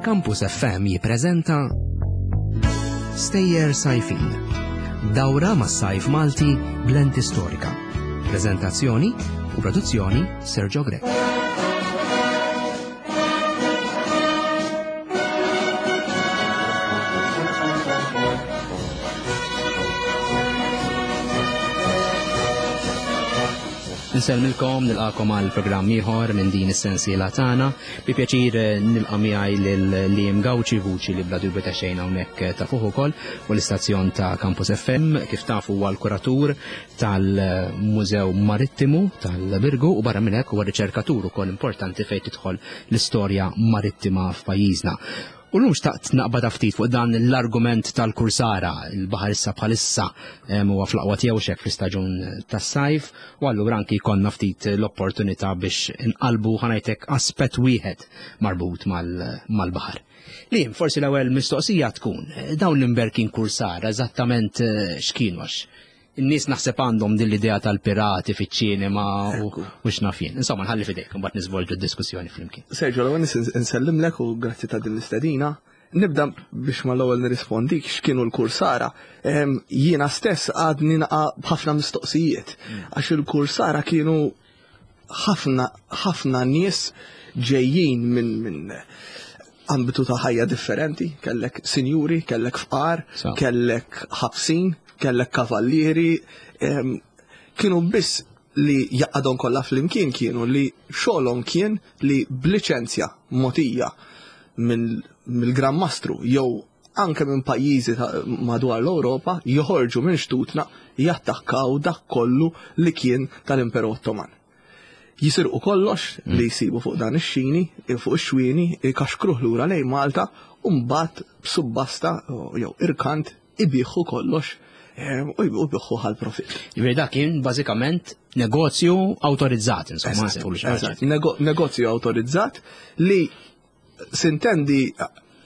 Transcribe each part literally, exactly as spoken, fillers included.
Campus F M jippreżenta Stejjer Sajfin. Dawra mas sajf Malti b'lenti storika. Prezentazzjoni u produzzjoni Sergio Grech. Nsellmilkom, nilqakom għal programm ieħor minn din is-sensiela tagħna. Bi pjaċir eh, nilqa' miegħi lil Liam Gauci, vuċi li bla dubju ta' xejn hawnhekk eh, ta' fuq ukoll u l-istazzjon ta' Campus F M, kif tafu huwa l-kuratur tal-Mużew Marittimu tal-Birgu u barra minn hekk huwa riċerkatur ukoll importanti fejn tidħol l-istorja marittima f'pajjiżna. U l-lum xtaqt naqbad ftit fuq dan l-argument tal-kursara, il-baħar issa bħalissa huwa fl-aqwa tiegħu xek fl-istaġun tas-sajf, u allura anki konna ftit l-opportunità biex inqalbu, ħa ngħidlek, aspett wieħed marbut mal-baħar. Li forsi l-ewwel mistoqsija tkun, dawn l-imberkin kursara eżattament eh, x'kienu, għax in-nies naħseb għandhom din l-idea tal-pirati fiċ-ċinema u x'naf jien. Insomma, nħalli fidejk, mbagħad niżvolġu d-diskussjoni flimkien. Sergio, l-ewwel nsellimlek u grazzi ta' din l-istedina. Nibda biex mal-ewwel nirrispondik x'kienu l-kursara. Jiena stess għadni naqa' b'ħafna mistoqsijiet mm. għax il-kursara kienu ħafna ħafna nies ġejjin minn min ambitu ta' ħajja differenti, kellek sinjuri, kellek fqar, kellek ħabsin, kellek kavallieri, kienu biss li jaqadhom kollha flimkien kienu li xogħolhom kien li b'liċenzja mogħtija mill-Gran Mastru jew anke minn pajjiżi madwar l-Ewropa joħorġu minn xtutna, jattakkaw dak kollu li kien tal-Imperu Ottoman. Jisirqu kollox mm. li jsibu fuq dan ix-xini, fuq ix-xwieni, ikaxkruh lura lejn Malta u mbagħad b'subbasta jew irkant ibigħu kollox u jbigħu għal profit. Jiġifieri dak kien bażikament negozju awtorizzat, insomma. Negozju awtorizzat li s'intendi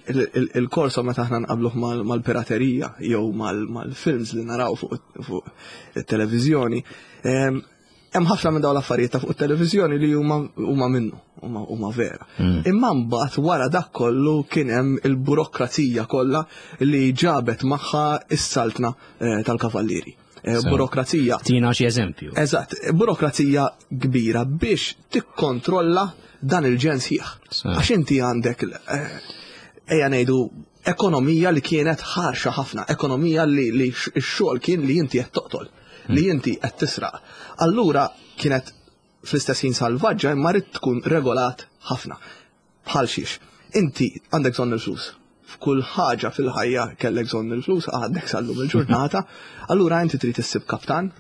il-korso meta aħna nqabluh mal-piraterija jew mal-films li naraw fuq it-televiżjoni, hemm ħafna minn dawn l-affarijiet ta' fuq it-televiżjoni li huma huma minnu, huma vera. Mm. Imma mbagħad wara dak kollu kien hemm il-burokrazija kollha li ġabet magħha is-saltna eh, tal-kavallieri. Eh, burokrazija. Tina xi eżempju. Eżatt, burokrazija kbira biex tikkontrolla dan il-ġens ħieħ. Għax inti għandek, eh, ejja ngħidu, ekonomija li kienet ħarxa ħafna, ekonomija li x-xogħol kien li inti qed toqtol, li mm. inti qed tisraq. Allura kienet fl-istess ħin salvaġġa imma rid tkun regolat ħafna. Bħal xiex, inti għandek bżonn il-flus. F'kull ħaġa fil-ħajja kellek bżonn il-flus, għandek sallum il-ġurnata, allura inti trid issib kaptan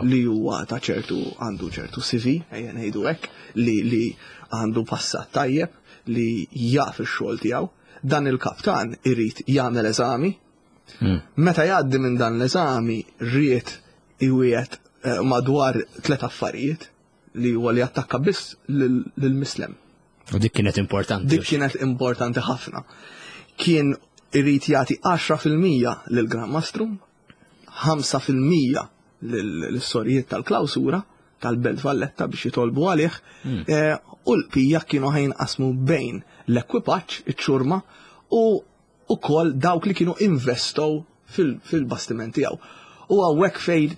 li huwa ta' ċertu, għandu ċertu C V, ejja ngħidu hekk, li li għandu passat tajjeb, li jaf ix-xogħol tiegħu. Dan il-kaptan irid jagħmel eżami. Hmm. Meta jgħaddi minn dan l-eżami ried iwiegħed eh, madwar tlet affarijiet, li huwa li attakka biss lill-Mislem. U dik kienet importanti. Dik kienet importanti ħafna. Kien irid jagħti għaxra fil-mija lil Gran Mastru, ħamsa fil-mija lill-sorijiet tal-klawsura tal-Belt Valletta biex jitolbu għalih, hmm. eh, u l-bqija kienu ħa jinqasmu bejn l-ekwipaġġ, iċ-ċurma, u ukoll dawk li kienu investow fil-bastiment tiegħu. U hawnhekk fejn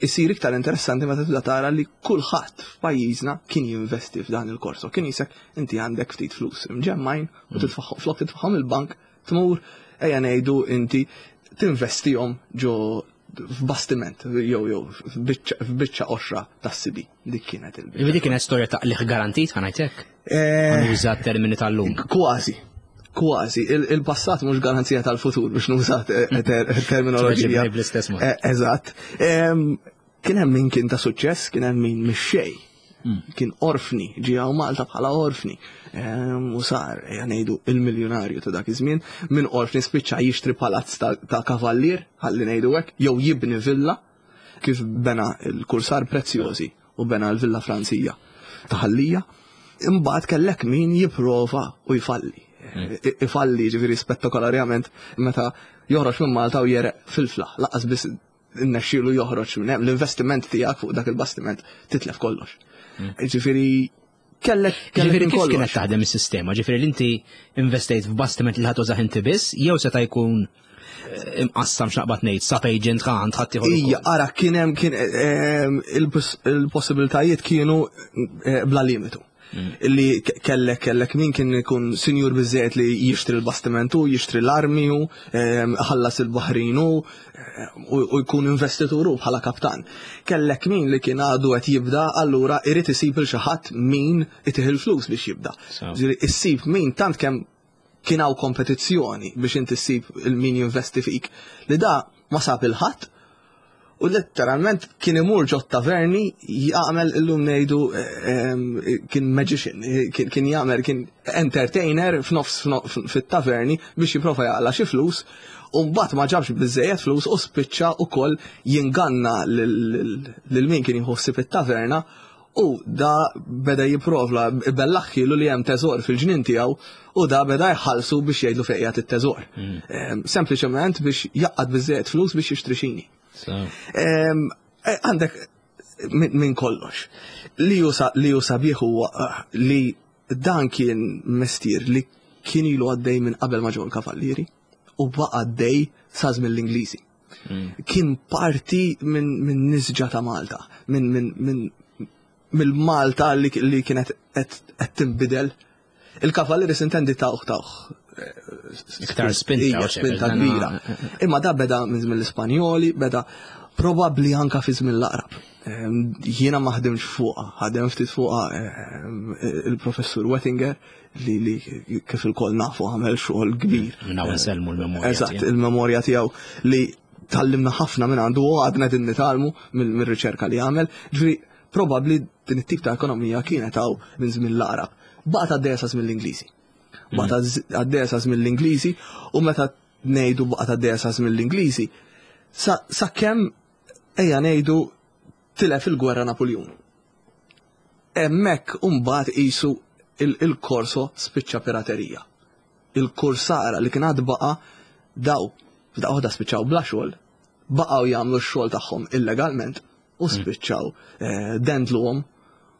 isir iktar interessanti meta tibda tara li kulħadd f'pajjiżna kien jinvesti f'dan il-korso. Kien jisek inti għandek ftit flus imġemmajn u hmm. titfaħħom, flok titfaħħom il-bank, tmur, ejja ngħidu, inti tinvestihom ġo f'bastiment jew jew f'biċċa qoxra tas-sibi. Dik kienet il Dik kienet storja ta' qligħ garantit, ħa ngħidlek. Eh, Nuża termini tal-lum. Kważi. Kważi, il-passat mhux garanzija tal-futur, biex nuża terminoloġija. Bl-istess mod. Eh, eżatt. Kien hemm min kien ta' suċċess, kien hemm min mix-xejn. Hmm. Kien orfni, ġie Malta bħala orfni. U sar, ngħidu, il-miljonarju ta' dak iż-żmien, minn orfni spiċċa jixtri palazz ta' kavallier, ħalli ngħidu hekk, jew jibni villa, kif bena il-kursar Prezzjosi u bena l-Villa Franzija ta' Ħal Lija. Imbagħad kellek min jipprova u jfalli. Hmm. Ifalli ġifieri spettakolarjament meta joħroġ minn Malta u jegħreq fil-fla, lanqas biss innexxielu joħroġ minn hemm, l-investiment tiegħek fuq dak il-bastiment titlef kollox. Hmm. Ġifieri Kellek kellek Ġifieri minn kif kienet kollox. taħdem is-sistema? Ġifieri li inti investejt f'bastiment li ħa tużah inti biss, jew seta' jkun eh, imqassam x'naqbad ngħid, sub agent għand ħadd ieħor Ija, ukoll. ara, kien hemm kien ehm, il-poss- il-possibilitajiet kienu eh, bla limitu. Illi ke- kellek kellek min kien ikun sinjur biżejjed li jixtri l-bastimentu, jixtri l-armi hu, ehm, ħallas il-baħrinu eh, u u jkun investituru bħala kaptan. Kellek min li kien għadu qed jibda, allura irid isib il xi ħadd min itih il-flus biex jibda. So. Ġifieri issib min tant kemm kien hawn kompetizzjoni biex inti ssib il-min jinvesti fik li da ma sab il-ħadd u letteralment kien imur ġo taverni jagħmel illum ngħidu ehm, kien magician, kien, kien jagħmel kien entertainer f'nofs f'no- fit-taverni biex jipprova jaqla' xi flus u mbagħad ma ġabx biżejjed flus u spiċċa ukoll jinganna lil lil min kien jħossib it-taverna u da beda jipprova bellaħħilu li hemm teżor fil-ġnien tiegħu u da beda jħallsu biex jgħidlu fejn qiegħed it-teżor. Ehm, Sempliċement biex jaqgħad biżejjed flus biex jixtri xini. So. Ehm, eh, Għandek min min kollox. Li hu sa- li hu sabiħ huwa eh, li dan kien mestier li kien ilu għaddej minn qabel ma ġew il-kavallieri u baqa' għaddej sa żmien l-Ingliżi. Kien parti minn min nisġa ta' Malta, minn min, min, mill-Malta li, li kienet qed qed tinbidel. Il-kavallieri s'intendi tawh tawh. Iktar spinta, Ija, u xek, spinta dan- kbira. Imma da beda minn żmien l-Ispanjoli, beda probabbli anka fi żmien l-Aqrab. Ehm, Jiena ma ħdimx fuqha, ħadem ftit fuqha ehm, il-professur Wettinger li, li kif il-koll nafu għamel xogħol kbir. Minn hawn insellmu l-memorja Eżatt, tiegħu. il-memorja tiegħu li tgħallimna ħafna minn għandu u għadna din nitgħallmu mill-riċerka li għamel. Ġifieri probabbli din it-tip ta' ekonomija kienet hawn minn żmien l-Aqrab. Baqgħet għaddejja sa żmien l-Ingliżi. Baqgħet għaddejja sa żmien l-Ingliżi u meta ngħidu baqgħet għaddejja sa żmien l-Ingliżi, sa, sa kemm ejja ngħidu tilef il-gwerra Napoleon. Hemmhekk mbagħad qisu il-korso spiċċa piraterija. Il-kursara li kien għad baqa daw f'daqqa waħda spiċċaw bla xogħol, baqgħu jagħmlu x-xogħol tagħhom illegalment u spiċċaw eh, dendluhom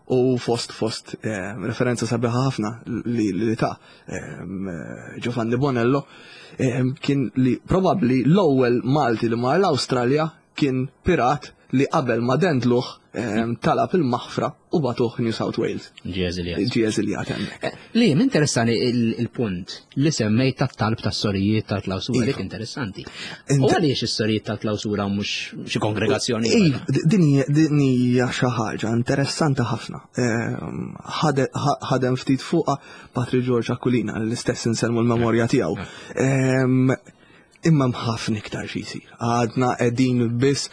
u fost fost eh, referenza sabiħa ħafna li, li ta' eh, Giovanni Bonello eh, kien li probabbli l-ewwel Malti li mar l-Awstralja kien pirat li qabel ma dendluh eh, talab il-maħfra u bagħtuh New South Wales. Ġie eżiljat. Ġie eżiljat hemmhekk. Li, interessani il- il-punt li semmejt tat-talb tas-sorijiet tal-klawsura, Iva. dik interessanti. Int- U għaliex is-sorijiet tal-klawsura mhux xi kongregazzjoni? Iva, din hija- din hija xi ħaġa interessanti ħafna. Ehm, ħade- ħa- Ħadem ftit fuqha Patri George Aquilina, l-istess insellmu l-memorja tiegħu. Ehm, Imma ħafna iktar xi jsir. Għadna qegħdin biss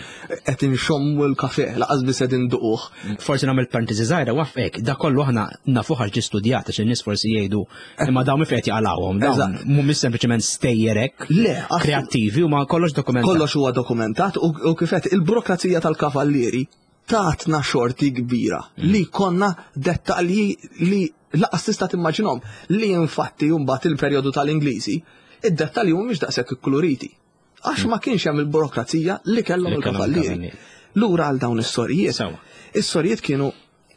qed inxommu l-kafe, lanqas biss qegħdin nduquh. Forsi nagħmel parentesi żgħira wafqek, da kollu aħna nafuh għax ġie studjat għax in-nies forsi jgħidu imma dawn minn fejn qed jaqalgħuhom, dawn Eżatt. mhumiex sempliċement stejjerek Le, assu- kreattivi u ma kollox dokumentat. Kollox huwa dokumentat u, u kifet il-burokrazija tal-kavallieri tatna xorti kbira li konna dettalji li lanqas tista' timmaġinhom li infatti mbagħad il-perjodu tal-Ingliżi id-dettalji mhumiex daqshekk ikkuluriti. Għax ma kienx hemm il-burokrazija li kellhom Li kellhom il-kavallieri. il-kavallieri. Lura għal dawn is-sorijiet. Sewa. Is-sorijiet kienu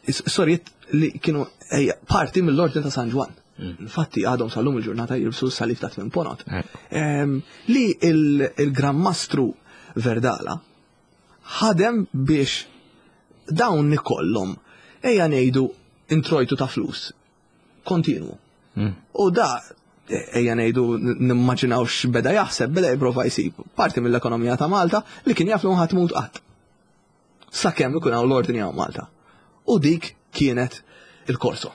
is-sorijiet li kienu ejja, parti mill-Ordni ta' San Ġwann. Infatti għadhom sal-lum il-ġurnata jilbsu s-salib ta' tmien ponot. Ekku. Em, li il- il-Gran Mastru Verdala ħadem biex dawn ikollhom ejja ngħidu introjtu ta' flus kontinwu. U da ejja ngħidu nimmaġinaw x'beda jaħseb, beda jipprova jsib parti mill-ekonomija ta' Malta li kien jaf li ħadd mut qatt. Sakemm ikun hawn l-ordni hawn Malta. U dik kienet il-korso.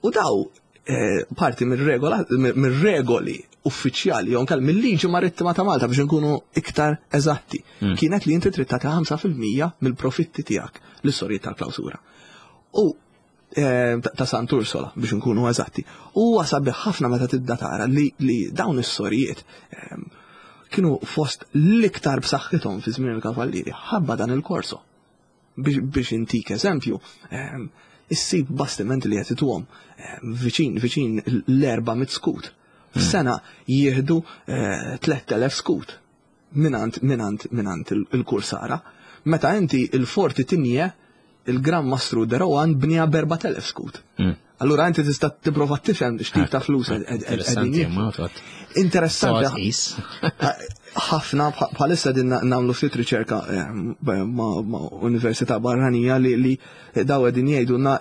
U daw eh, parti mir-regola mir-regoli uffiċjali jew inkella mill-liġi marittima ta' Malta biex nkunu iktar eżatti. Kienet li inti trid tagħti ħamsa fil-mija mill-profitti tiegħek lis-sorijiet tal-klawsura. U eh, ta' ta' Sant Ursola biex nkunu eżatti. U huwa sabiħ ħafna meta tibda tara li, li dawn is-sorijiet ehm, kienu fost l-iktar b'saħħithom fi żmien il-kavallieri ħabba dan il-korso. Biex, biex intik eżempju, ehm, issib bastimenti li qed ituhom ehm, viċin viċin l-erba' mit skut. F'sena jieħdu eh, tliet elef skut minant minant minant il- il-kursara. Meta inti il-forti Tigné Il-Gran Mastru de Rohan bniha b'erbat elef skut. Mm. Allura inti tista' tipprova tifhem x'tip ta' flus Interessanti, ma Interessanti. Ħafna bħalissa din nagħmlu ftit riċerka eh, ma' università barranija li li daw qegħdin jgħidulna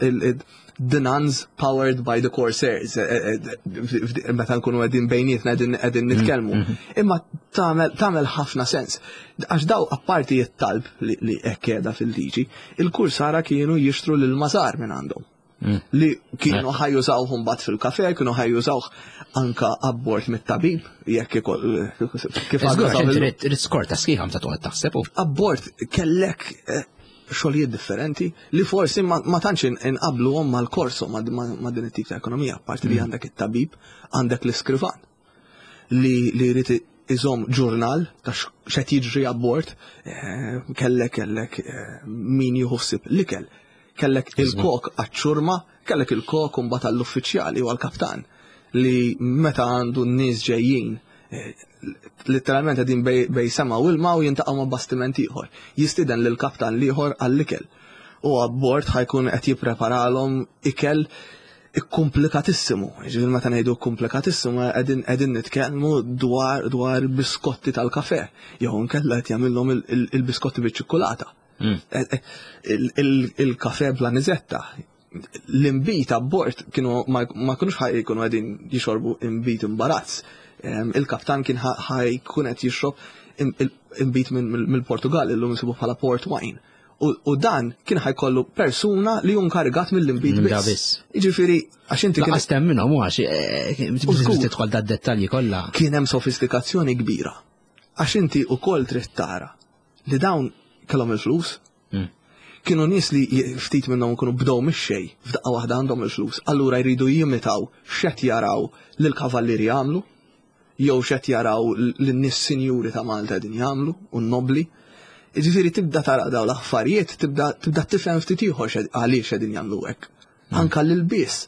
the nuns powered by the corsairs, eh, eh, meta nkunu qegħdin bejnietna qegħdin nitkellmu. Mm, mm. Imma tagħmel ħafna sens. Għax daw apparti it-talb li hekk qiegħda fil-liġi, il-kursara kienu jixtru lil mażar minn għandhom. Mm. Li kienu ħa jużawhom mbagħad fil-kafe, kienu ħa jużawh anka abbord mit-tabib, jekk kif għadu. Trid skorta sħiħa meta toqgħod taħseb. Abbord kellek eh, xogħlijiet differenti li forsi ma tantx inqabluhom mal-korso ma' din it-tip ta' ekonomija, parti li mm. għandek it-tabib, għandek l-iskrivan li li jrid iżomm ġurnal ta' x'qed jiġri abbord, eh, kellek kellek eh, min jieħu ħsieb l-ikel, kellek il-kok għaċ-ċurma, kellek il-kok mbagħad għall-uffiċjali u għall-kaptan li meta għandu n-nies ġejjin eh, literalment qegħdin bejn sema u ilma u jintaqgħu ma' bastiment ieħor. Jistieden lill-kaptan l-ieħor għall-ikel. U abbord ħa jkun qed jippreparalhom ikel ikkomplikatissimu. Ġifieri meta ngħidu komplikatissimu qegħdin qegħdin nitkellmu dwar dwar biskotti tal-kafe. Jew inkella qed jagħmilhom il-biskotti biċ-ċikkulata. Mm. Eh, eh, il-kafe bl-anizetta. L-imbit abbord kienu ma kinux ħa jkunu qegħdin jixorbu imbit imbarazz. Il-kaptan kien ħa jkun qed jixrob imbit mill-Portugal illum insibu bħala port wine. U dan kien ħa jkollu persuna li hu inkarigat mill-imbit biss. Jiġifieri għax inti kien. Lanqas minnhom għax eh, tidħol da dettalji kollha. Kien hemm sofistikazzjoni kbira. Għax inti ukoll trid tara li dawn kellhom il-flus. Mm. Kienu nies li ftit minnhom kienu bdew mix-xejn, f'daqqa waħda għandhom il-flus, allura jridu jimitaw x'qed jaraw lill-kavallieri jagħmlu, jew x'qed jaraw lin-nies sinjuri ta' Malta qegħdin jagħmlu u n-nobli. Jiġifieri tibda tara dawn l-affarijiet, tibda tibda tifhem ftit ieħor għaliex qegħdin jagħmlu hekk. Mm. Anka l-ilbies.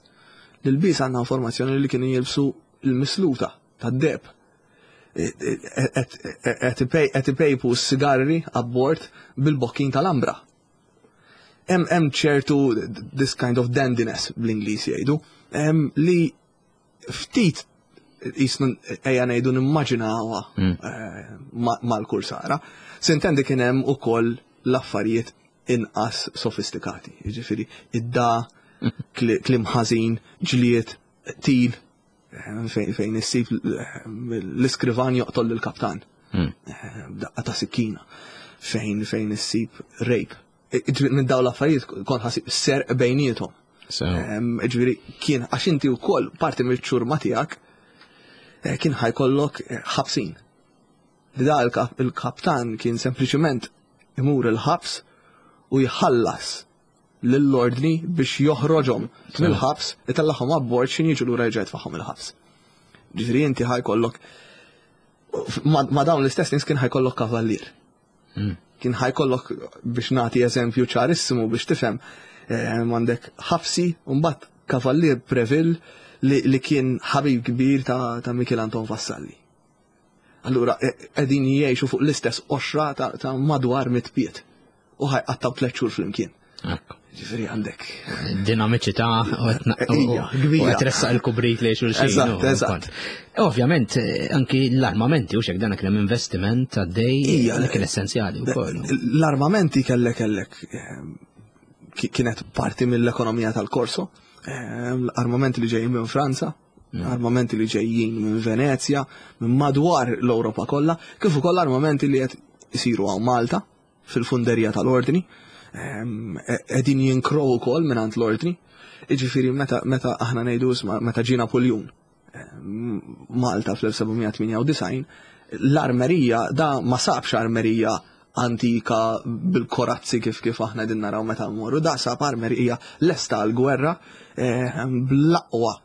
L-ilbies għandna informazzjoni li kienu jilbsu l-misluta tad-deheb. Qed ipejpu s-sigarri abbord bil-bokkin tal-ambra. Hemm ċertu this kind of dandiness bl-Ingliż jgħidu, li ftit jisnu ejja ngħidu nimmaġinawha mm. eh, mal-kursara. Sintendi kien hemm ukoll l-affarijiet inqas sofistikati. Jiġifieri id-da, kliem ħażin, ġlied, qtil, eh, fejn issib eh, l-iskrivan joqtol lill-kaptan. Mm. Daqqa ta' sikkina. Fejn fejn issib rape. Minn dawn l-affarijiet kont ħa ssib serq bejniethom. Ġifieri kien għax inti wkoll parti mill-ċurma tiegħek eh, kien ħa jkollok eh, ħabsin. Li da il-kaptan kien sempliċement imur il-ħabs u jħallas lill-ordni biex joħroġhom mill-ħabs, itellagħhom abbord x'ħin jiġu lura jerġa' jitfagħhom il-ħabs. Ġifieri inti ħa jkollok ma dawn l-istess nies kien ħa jkollok kavallier. Hmm. Kien ħa jkollok biex nagħti eżempju ċarissimu biex tifhem eh, għandek ħabsi u mbagħad kavallier Preville li, li kien ħabib kbir ta', ta' Michel Anton Vassalli. Allura e, qegħdin jgħixu fuq l-istess qoxra ta', ta' madwar mitt pied u ħa jqattgħu tliet xhur flimkien. Ġifieri għandek. Dinamiċità u Ija, kbira. qed tressaq il-kubrit li xulxin. Eżatt, eżatt. Ovvjament, anki l-armamenti u xek dan kien hemm investiment għaddej Ija, li kien essenzjali wkoll. L-armamenti kellek kellek eh, kienet parti mill-ekonomija tal-Korso, eh, l-armamenti li ġejjin minn Franza, mm. armamenti li ġejjin minn Venezja, minn madwar l-Ewropa kollha, kif ukoll armamenti li qed isiru hawn Malta fil-funderija tal-Ordni, qegħdin jinkrow ukoll mingħand l-Ordni. Jiġifieri meta meta aħna ngħidu isma' meta ġie Napoljun Malta fl-elf seba' mija tmienja u disgħin, l-armerija da ma sabx armerija antika bil-korazzi kif kif aħna qegħdin naraw meta mmorru, da sab armerija lesta għall-gwerra bl-aqwa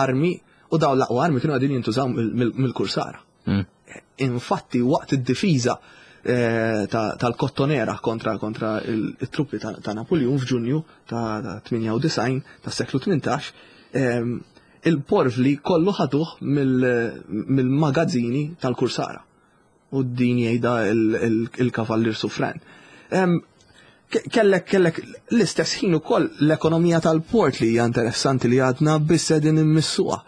armi u dawn l-aqwa armi kienu qegħdin jintużaw mill-kursara. Mm. Infatti waqt id-difiża eh, tal-Kottonera kontra kontra il-truppi ta' Napoljun f'Ġunju ta' tmienja u disgħin tas-seklu tmintax, ehm, il-porvli kollu ħaduh mill-magazzini tal-kursara. U din jgħidha il-kavallier Suffren. Ehm, Kellek kellek l-istess ħin ukoll l-ekonomija tal-port li hija interessanti li għadna biss qegħdin immissuha,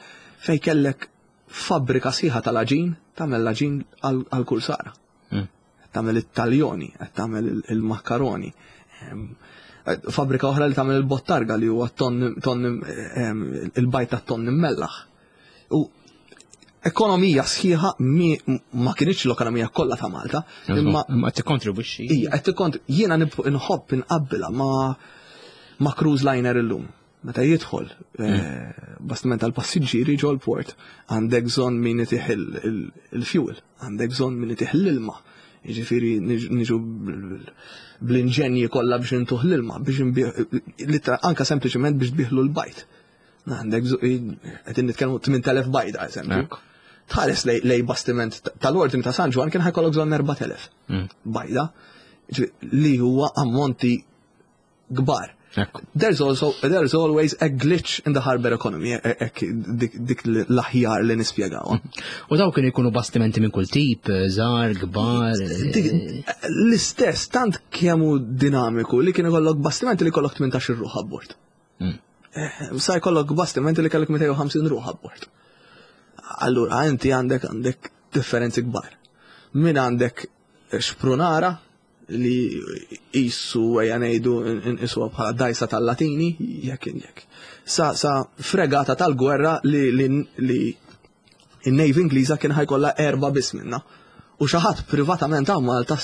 fej kellek fabbrika sħiħa tal-aġin, tagħmel l-aġin għal-kursara. Mm. Tagħmel it-taljoni, qed tagħmel il-makkaroni. Fabbrika oħra li tagħmel il-bottarga li huwa ton il-bajt tat-ton immellaħ. U ekonomija sħiħa ma kienx l-ekonomija kollha ta' Malta, imma qed tikkontribwixxi. Ija, qed tikkont jiena nħobb inqabbilha ma' ma' cruise liner illum. Meta jidħol eh, bastiment tal-passiġġieri ġol port, għandek bżonn min itih il-fuel, għandek bżonn min itih l-ilma. Jiġifieri niġu bl-inġenji kollha biex intuh l-ilma, biex anka sempliċement biex tbiħlu l-bajt. Għandek qegħdin nitkellmu tmien elef bajda, eżempju. Tħares lej bastiment tal-ordni ta' San Ġwann, kien ħa jkollok bżonn erbat elef mm. bajda, li huwa ammonti kbar. There's also there's always a glitch in the harbor economy, dik, dik l-aħjar li nispjegaw. U daw kienu jkunu bastimenti minn kull tip, żgħar, kbar. L-istess, tant kemm hu dinamiku li kien ikollok bastimenti li kollok tmintax-il ruħ abbord. Mm. Eh, sa jkollok bastimenti li kellek mitejn u ħamsin ruħ abbord. Allura inti għandek għandek differenzi kbar. Min għandek xprunara li jissu, ejja ngħidu, nqisuha bħala dajsa tal-Latini, jekk jekk. Sa, sa fregata tal-gwerra li, li, li in-Navy Ingliża kien ħa jkollha erba' biss minna. U xi ħadd privatament għal Malta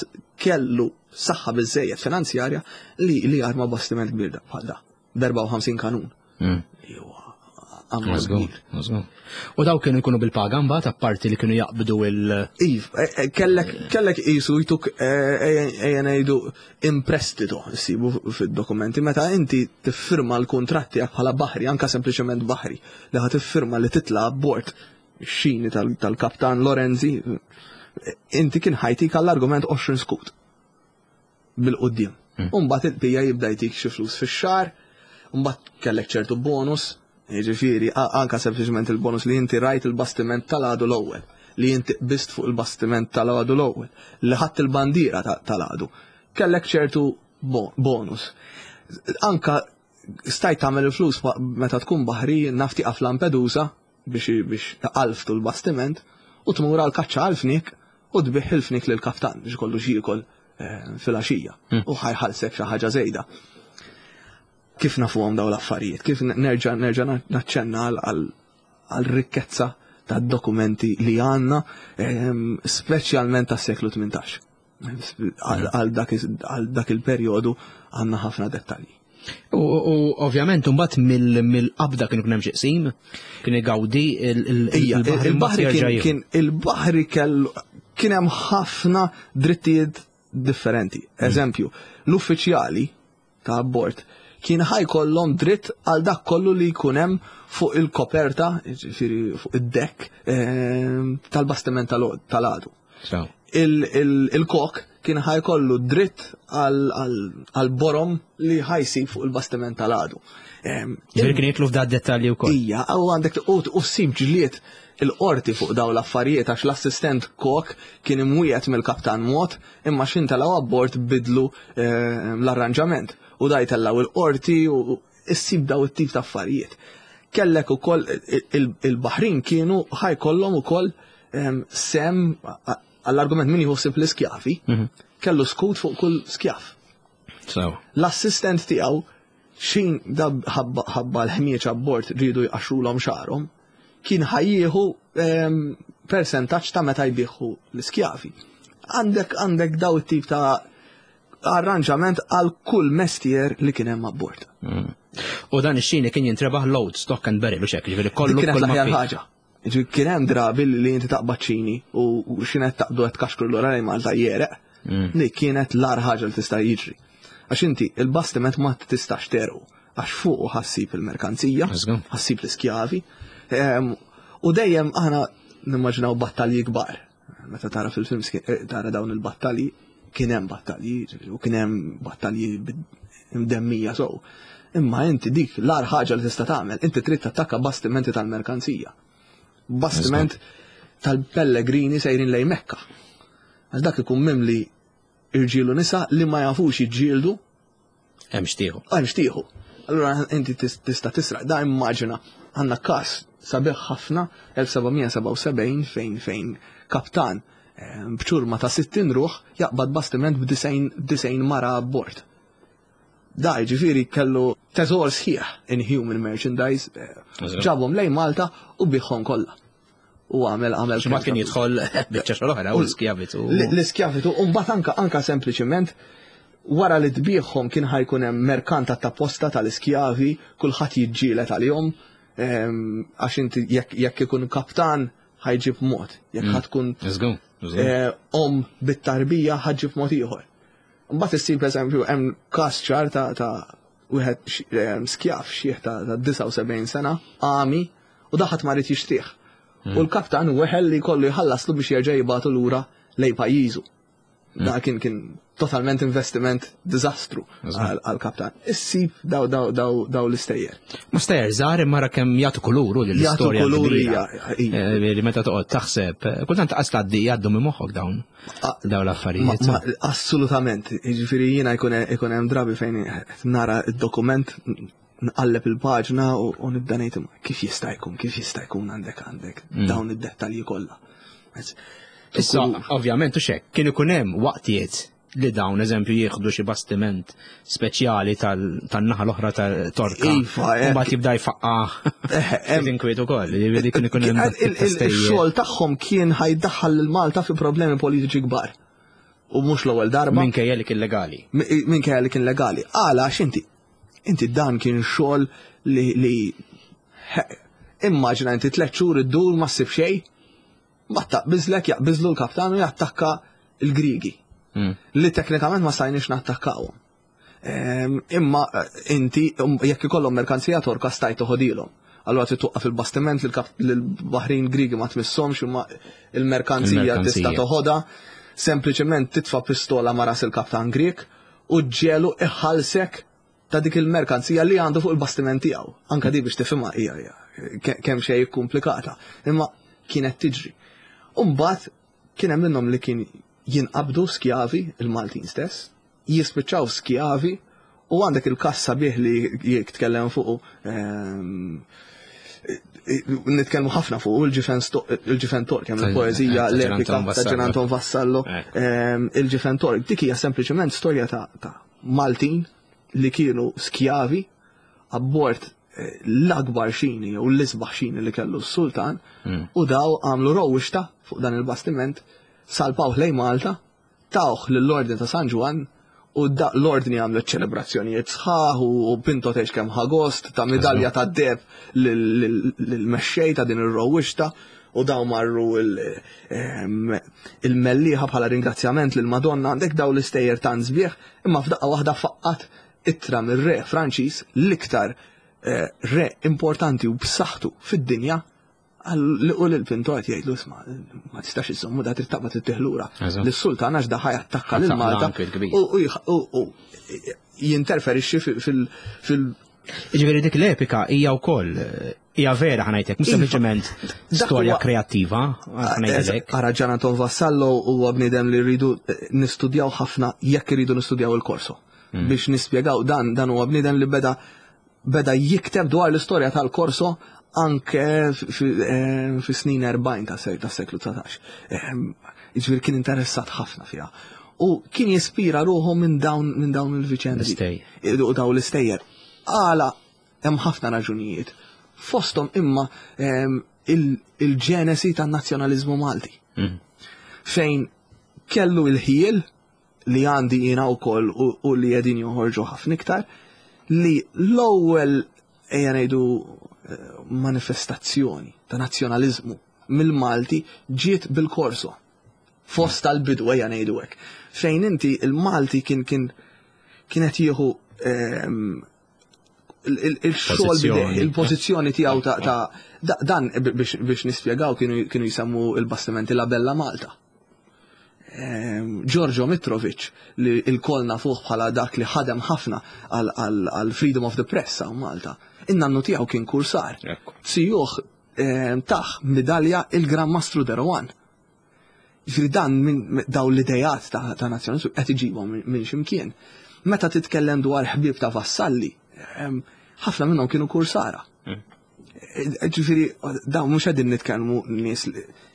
kellu saħħa biżejjed finanzjarja li li jarma bastiment kbir bħal da. B'erbgħa u ħamsin kanun. Mm. Li huwa ammont kbir. U daw kienu jkunu bil-paga mbagħad, apparti li kienu jaqbdu il- Iv, eh, eh, kellek kellek jisu jtuk, eh, ejja ngħidu, in prestito sibu fid-dokumenti meta inti tiffirma l-kontratti tiegħek bħala baħri, anka sempliċement baħri, li ħa tiffirma li titla' abbord xini tal-kaptan Lorenzi, inti kien ħa jtik għall-argument għoxrin skut bil-qoddim. Umbagħad il-bija jibda jtik xi flus fix-xahar, umbagħad kellek ċertu bonus, jiġifieri anka sempliċement il-bonus li inti rajt il-bastiment tal-għadu l-ewwel, li inti qbist fuq il-bastiment tal-għadu l-ewwel, li ħadd il-bandiera tal-għadu. Kellek ċertu bonus. Anka stajt tagħmel il-flus meta tkun baħri, naf tieqaf Lampedusa biex biex qalftu l-bastiment u tmur għal kaċċa għal-fnik u tbigħ il-fnik lill-kaptan biex kollu x'jiekol eh, fil-għaxija u ħa jħallsek xi ħaġa żejda. Kif nafuhom daw l-affarijiet? Kif nerġa' nerġa' naċċenna għal rikkezza ta' dokumenti li għandna, ehm, speċjalment tas-seklu tmintax. Għal dak il-perjodu għandna ħafna dettalji. U ovvjament mbagħad mill-qabda kienu kien hemm xi qsim, kien igawdi il-baħri kien il-baħri kellu kien hemm ħafna drittijiet differenti. Mm. Eżempju, l-uffiċjali ta' abbord kien ħa jkollhom dritt għal dak kollu li jkun hemm fuq il-koperta, ġifieri fuq id-deck ehm, tal-bastiment tal-għadu. Il-kok kien ħa jkollu dritt għal borom li ħa jsib fuq il-bastiment tal-għadu. Ehm, Ġifieri kien jidħlu f'da dettalji wkoll. Ija, u għandek u ssib ġlied il-qorti fuq daw l-affarijiet għax l-assistent kok kien imwiegħed mill-kaptan mod, imma xin telgħu abbord bidlu ehm, l-arranġament u da jtellaw il-qorti u issib daw it-tip ta' affarijiet. Kellek ukoll il-baħrin kienu ħa jkollhom ukoll ehm, sem għall-argument min jħossib l-iskjafi, mhm. kellu skut fuq kull skjaf. L-assistent tiegħu xin da ħabba l-ħmieċ abbord rridu jqaxxrulhom xagħarhom, kien ħa jieħu ehm, percentaġġ ta' meta jbieħu l-iskjavi. Għandek għandek daw it-tip ta' arranġament għal kull mestier li kien hemm abbord. Mm. U dan ix-xini kien jintrebaħ load, stock and barrel u xek, ġifieri kollu Dik kienet kull ma l-aħjar fih. ħaġa. Ġifieri kien hemm drabi li inti taqbad ċini u u x'kienet taqbdu qed kaxkru lura lejn Malta jereq. Mm. Li kienet l-agħar ħaġa li tista' jiġri. Għax inti il-bastiment ma tistax tegħrqu għax fuq ħa ssib il-merkanzija, Let's go. ħa ssib l-iskjavi. Ehm, U dejjem aħna nimmaġinaw battalji kbar. Meta tara fil-films eh, tara dawn il-battalji, kien hemm battalji, u kien hemm battalji mdemmija so. Imma inti dik l-agħar ħaġa li tista' tagħmel, inti trid tattakka bastimenti tal-merkanzija. Bastiment tal-pellegrini sejrin lejn Mekka. Għax dak ikun mimli irġiel u nisa li ma jafux jiġġieldu. Hemm xtieħu. Hemm xtieħu. Allura inti tista' tisraq. Da immaġina għandna każ sabiħ ħafna elf sebgħamija sebgħa u sebgħin fejn fejn kaptan b'ċurma ta' sittin ruħ jaqbad bastiment b'disgħin mara abbord. Da ġifieri kellu teżor sħiħ in human merchandise, ġabhom lejn Malta u biħhom kollha. U għamel għamel Xi kien jidħol biċċa xogħol oħra u l-iskjavitu. L-iskjavitu u mbagħad anka anka sempliċiment wara li tbieħhom kien ħajkun hemm merkanta ta' posta tal-iskjavi, kulħadd jiġġieled għalihom, għax inti jekk ikun kaptan ħajġib mod, jekk ħatkun om bit-tarbija ħaġib mod ieħor. Mbagħad issib pereżempju hemm każ ċar ta' wieħed skjav xieħ ta' disgħa u sebgħin sena, għami, u daħat ma rid jixtrih. U l-kaptan weħel li kollu jħallaslu biex jerġa' jibgħatu lura lejn pajjiżu. Da kien kien totalment investiment diżastru għal-kaptan. Issib daw daw daw daw l-istejjer. Ma stejjer żgħar imma ra kemm jagħtu kuluru lill-istorja. Jagħtu kuluri, li meta toqgħod taħseb, kultant taqas tgħaddi jgħaddu minn moħħok dawn dawn l-affarijiet. Assolutament, jiġifieri jiena jkun hemm drabi fejn nara d-dokument, nqalleb il-paġna u nibda ngħid kif jista' jkun, kif jista' jkun għandek għandek dawn id-dettalji kollha. Issa, ovvjament, u xek, kien ikun hemm waqtiet li dawn, eżempju, jieħdu xi bastiment speċjali tan-naħa l-oħra tal-Torka. Iva, U mbagħad jibda jfaqqa' inkwiet ukoll, jiġifieri kien ikun hemm Il-xogħol tagħhom kien ħajdaħħal lil Malta fi problemi politiċi kbar. U mhux l-ewwel darba. Minkejja li kien legali. Minkejja li kien legali. Għala għax inti inti dan kien xogħol li immaġina inti tliet xhur iddur ma ssib xejn, ma taqbiżlek jaqbiżlu l-kaptan u jattakka l-Grigi. Li teknikament ma stajniex nattakkawhom. Imma inti jekk ikollhom merkanzija Torka stajt toħodilhom. Allura trid toqqaf il-bastiment lill-baħrin Grigi ma tmissomx imma il-merkanzija tista' toħodha, sempliċement titfa' pistola ma' ras il-kaptan Grieg u ġġielu iħallsek ta' dik il-merkanzija li għandu fuq il-bastiment tiegħu. Anka di biex tifhimha hija kemm xejn komplikata, imma kienet tiġri. U mbagħad kien hemm minnhom li kien jinqabdu skjavi il-Maltin stess, jispiċċaw skjavi, u għandek il-każ sabiħ li jitkellem fuq, nitkellmu ħafna fuq il-ġifen Tork, hemm il-poeżija l-epika ta' Ġan Anton Vassallo, il-ġifen Tork, dik hija sempliċement storja ta' Maltin li kienu skjavi abbord l-akbar xini u l-isbaħ xini li kellu s-sultan, u daw għamlu rowixta fuq dan il-bastiment, salpawh lejn Malta, tawh lill-Ordni ta' San Ġwann, u l-Ordni għamlet ċelebrazzjonijiet sħaħ u Pinto tgħix kemm ħa gost ta' medalja ta' deb lill-mexxej ta' din ir-rowixta, u daw marru il-Mellieħa bħala ringrazzjament lil Madonna. Għandek daw l-istejjer tant sbieħ, imma f'daqqa waħda faqqat ittra mir-re Franċiż, l-iktar re importanti u b'saħħtu fid-dinja, u lil-Pinto qed jgħidlu isma' ma tistax iżommu da trid taqbad ittieħ lura lis-sultan għax da ħa jattakka lil Malta u jinterferixxi fil fil Jiġifieri dik l-epika hija wkoll hija vera ħanajtek, mhux sempliċement storja kreattiva ħanajtek. Ara Ġan Anton Vassallo huwa bniedem li rridu nistudjaw ħafna jekk irridu nistudjaw il-korso. Biex nispjegaw dan dan huwa bniedem li beda beda jikteb dwar l-istorja tal-korso anke fi snin erbgħin ta' seklu dsatax. Jiġifieri kien interessat ħafna fiha. U kien jispira ruħu minn dawn minn dawn il-viċendi. U dawn l-istejjer. Għala hemm ħafna raġunijiet. Fosthom imma il-ġenesi tan-nazzjonaliżmu Malti. Fejn kellu il-ħiel li għandi jiena wkoll u li qegħdin joħorġu ħafna iktar, li l-ewwel ejja ngħidu manifestazzjoni ta' nazzjonaliżmu mill-Malti ġiet bil-korso. Fost tal-bidu ejja ngħidu hekk. Fejn inti il-Malti kien kien kienet jieħu il-xogħol bideh, il-pożizzjoni tiegħu ta' dan biex nispjegaw kienu jsemmu il-bastimenti La Bella Malta. Giorgio Mitrovic li il-koll nafuh bħala dak li ħadem ħafna għal Freedom of the Press hawn Malta. In-nannu tiegħu kien kursar. Sijuh taħ medalja il-Gran Mastru de Rohan. Ġifieri dan minn daw l-idejat ta' nazzjonaliżmu qed iġibhom minn x'imkien. Meta titkellem dwar ħbieb ta' Vassalli, ħafna minnhom kienu kursara. Hmm. Ġifieri, dawn mhux qegħdin nitkellmu nies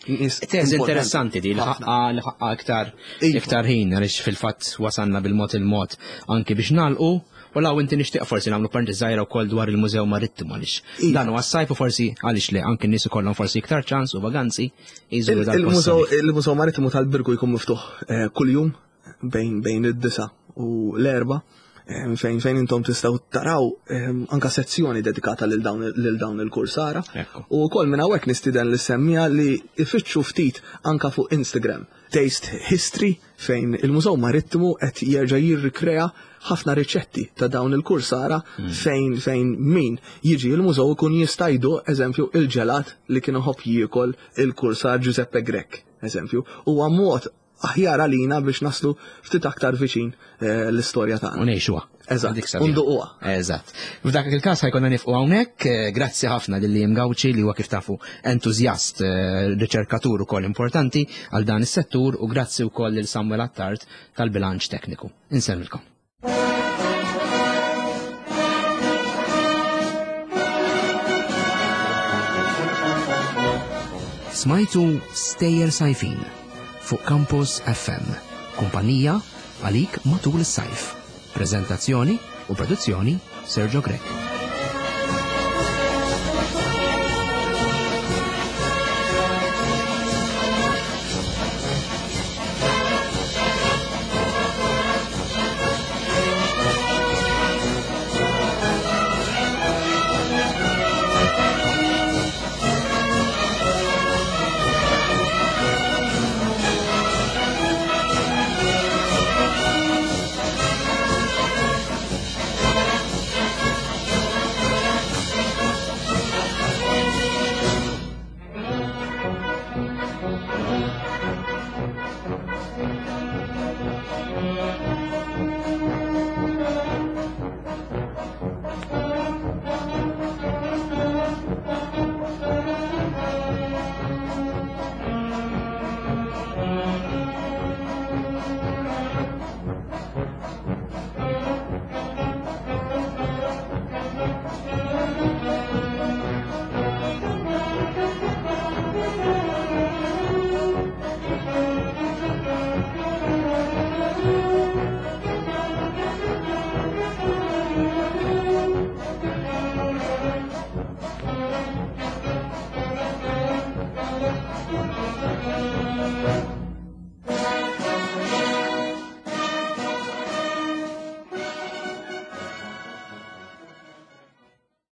nies. Teżi interessanti di li ħaqqa iktar iva. iktar ħin għaliex fil-fatt wasanna bil-mod il-mod anki biex nagħlqu u law inti nixtieq forsi nagħmlu parti żgħira wkoll dwar il-Mużew Marittimu għaliex iva. dan huwa s-sajf u forsi għaliex le anki n-nies ikollhom forsi iktar ċans u vaganzi jżuru Il-Mużew Marittimu tal-Birgu jkun miftuħ eh, kuljum bejn bejn id-disa u l-erba' fejn fejn intom tistgħu taraw anka sezzjoni dedikata lil dawn lil dawn il-kursara. U wkoll minn hawnhekk nistieden li semmija li ifittxu ftit anka fuq Instagram. Taste History fejn il-Mużew Marittimu qed jerġa' jirrikrea ħafna riċetti ta' dawn il-kursara hmm. fejn fejn min jiġi il-mużew ikun jista' jduq eżempju il-ġelat li kien iħobb jiekol il-kursar Giuseppe Grech, eżempju. Huwa mod aħjar għalina biex naslu ftit aktar viċin eh, l-istorja tagħna. U ngħixuha. Eżatt, unduquha. Eżatt. F'dak il-każ ħajkonna nifqu hawnhekk, eh, grazzi ħafna lil Liam Gauci li huwa kif tafu entużjast, eh, riċerkatur ukoll importanti għal dan is-settur u grazzi wkoll lil Samuel Attard tal-bilanċ tekniku. Insellmilkom. Smajtu Stejjer Sajfin fuq Campus F M, kumpanija għalik matul is-sajf. Prezentazzjoni u produzzjoni Sergio Grech.